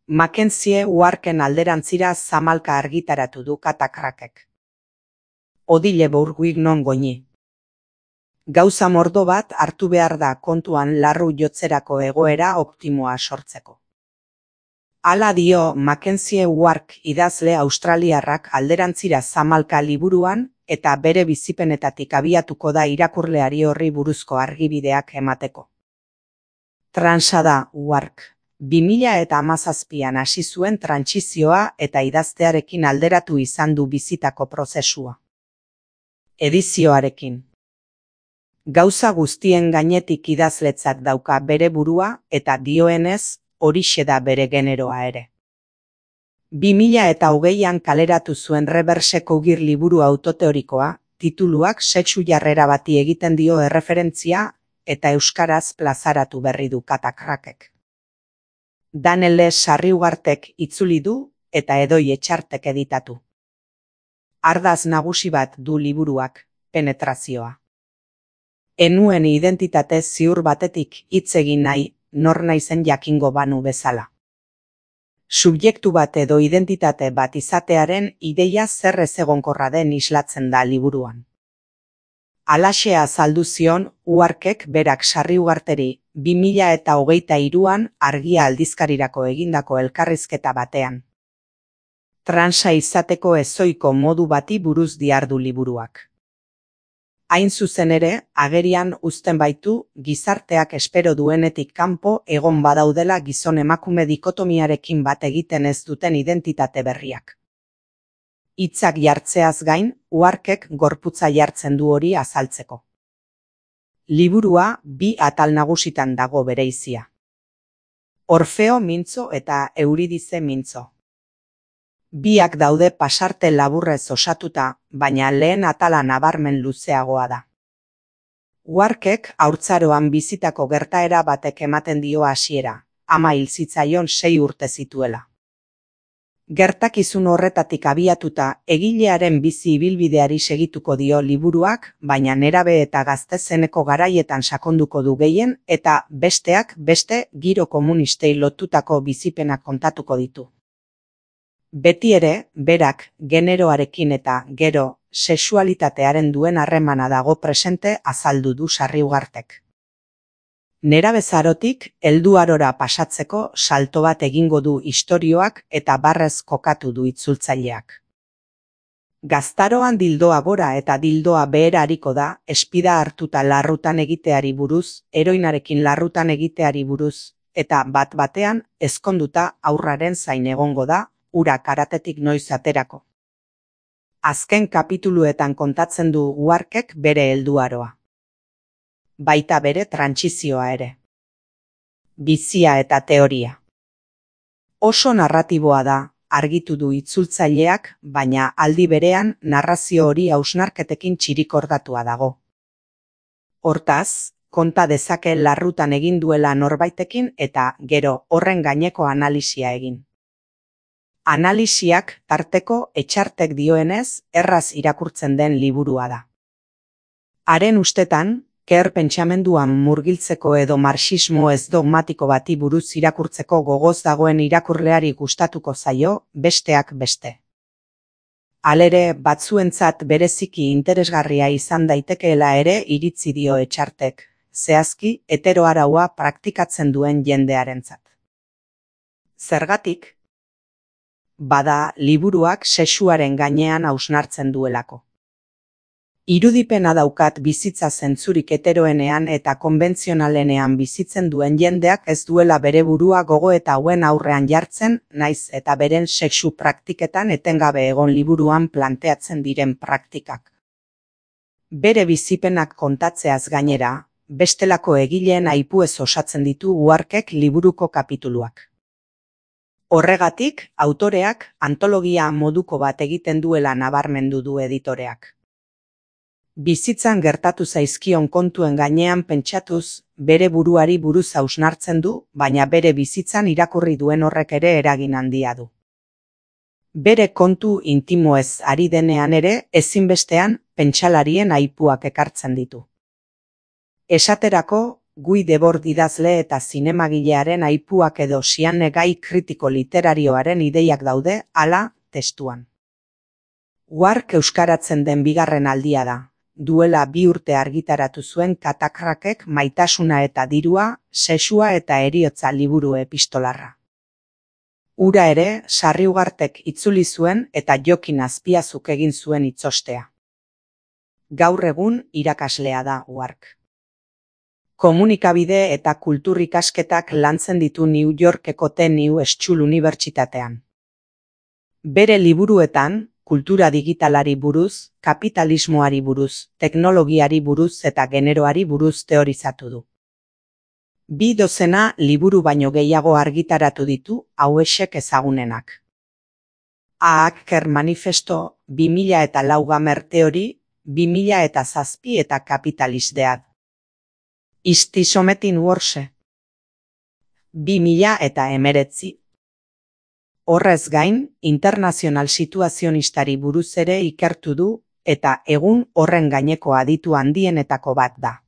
Mackenzie Warken alderantzira zamalka argitaratu du Katakrakek. Odile Bourguig non goini. Gauza mordo bat hartu behar da kontuan larru jotzerako egoera optimoa sortzeko. Hala dio Mackenzie Wark idazle australiarrak alderantzira zamalka liburuan eta bere bizipenetatik abiatuko da irakurleari horri buruzko argibideak emateko. Transa da Wark. 2017an hasi zuen trantsizioa eta idaztearekin alderatu izan du bizitako prozesua. Edizioarekin. Gauza guztien gainetik idazletzat dauka bere burua eta dioenez, horixe da bere generoa ere. 2020an kaleratu zuen Reverse Cougir liburu autoteorikoa, tituluak sexu jarrera bati egiten dio erreferentzia eta euskaraz plazaratu berri du Katakrakek. Daniel Sarriugartek itzuli du eta Edoi Etxartek editatu. Ardaz nagusi bat du liburuak, penetrazioa. Enuen identitate ziur batetik hitz egin nahi, nor naizen jakingo banu bezala. Subjektu bat edo identitate bat izatearen ideia zer ezegonkorra den islatzen da liburuan. Halaxe azaldu zion Warkek berak Sarriugarteri 2023an Argia aldizkarirako egindako elkarrizketa batean. Transa izateko ezoiko modu bati buruz diardu liburuak. Hain zuzen ere, agerian uzten baitu gizarteak espero duenetik kanpo egon badaudela gizon-emakume dikotomiarekin bat egiten ez duten identitate berriak. Hitzak jartzeaz gain, Warkek gorputza jartzen du hori azaltzeko. Liburua 2 atal nagusitan dago bereizia. Orfeo mintzo eta Euridize mintzo. Biak daude pasarte laburrez osatuta, baina lehen atala nabarmen luzeagoa da. Warkek haurtzaroan bizitako gertaera batek ematen dio hasiera, ama hil zitzaion 6 urte zituela. Gertakizun horretatik abiatuta egilearen bizi ibilbideari segituko dio liburuak, baina nerabe eta gazte zeneko garaietan sakonduko du gehien eta besteak beste giro komunistei lotutako bizipenak kontatuko ditu. Beti ere, berak generoarekin eta gero sexualitatearen duen harremana dago presente azaldu du Sarriugartek. Nerabezarotik helduarora pasatzeko salto bat egingo du istorioak eta barrez kokatu du itzultzaileak. Gaztaroan dildoa gora eta dildoa behera ariko da, espida hartuta larrutan egiteari buruz, heroinarekin larrutan egiteari buruz, eta bat-batean ezkonduta aurraren zain egongo da, ura karatetik noiz aterako. Azken kapituluetan kontatzen du Warkek bere helduaroa. Baita bere trantsizioa ere. Bizia eta teoria. Oso narratiboa da, argitu du itzultzaileak, baina aldi berean narrazio hori hausnarketekin txirikordatua dago. Hortaz, konta dezake larrutan egin duela norbaitekin eta gero horren gaineko analisia egin. Analisiak tarteko Etxartek dioenez erraz irakurtzen den liburua da. Haren ustetan, Ker pentsamenduan murgiltzeko edo marxismo ez dogmatiko bati buruz irakurtzeko gogoz dagoen irakurleari gustatuko zaio, besteak beste. Halere, batzuentzat bereziki interesgarria izan daitekeela ere iritzi dio Etxartek, zehazki heteroaraua praktikatzen duen jendearentzat. Zergatik? Bada, liburuak sexuaren gainean hausnartzen duelako. Irudipena daukat bizitza zentzurik heteroenean eta konbentzionalenean bizitzen duen jendeak ez duela bere burua gogo eta hauen aurrean jartzen, naiz eta beren sexu praktiketan etengabe egon liburuan planteatzen diren praktikak. Bere bizipenak kontatzeaz gainera, bestelako egileen aipuez osatzen ditu Warkek liburuko kapituluak. Horregatik, autoreak antologia moduko bat egiten duela nabarmendu du editoreak. Bizitzan gertatu zaizkion kontuen gainean pentsatuz, bere buruari buruz hausnartzen du, baina bere bizitzan irakurri duen horrek ere eragin handia du. Bere kontu intimoez ari denean ere, ezinbestean pentsalarien aipuak ekartzen ditu. Esaterako, Guy Debord idazle eta zinemagilearen aipuak edo Siane gai kritiko literarioaren ideiak daude, hala, testuan. Wark euskaratzen den bigarren aldia da. Duela 2 urte argitaratu zuen Katakrakek Maitasuna eta dirua, sexua eta heriotza liburu epistolarra. Hura ere, Sarriugartek itzuli zuen eta Jokin Azpiazuk egin zuen itzostea. Gaur egun irakaslea da Wark. Komunikabide eta kultur ikasketak lantzen ditu New Yorkeko New School Unibertsitatean. Bere liburuetan, kultura digitalari buruz, kapitalismoari buruz, teknologiari buruz eta generoari buruz teorizatu du. 2 dozena liburu baino gehiago argitaratu ditu hauexek ezagunenak. A Hacker Manifesto, 2004 Gamer Theory, 2007 eta Capitalist Dead. Is this something worse? 2019. Horrez gain, internazional situazionistari buruz ere ikertu du eta egun horren gaineko aditu handienetako bat da.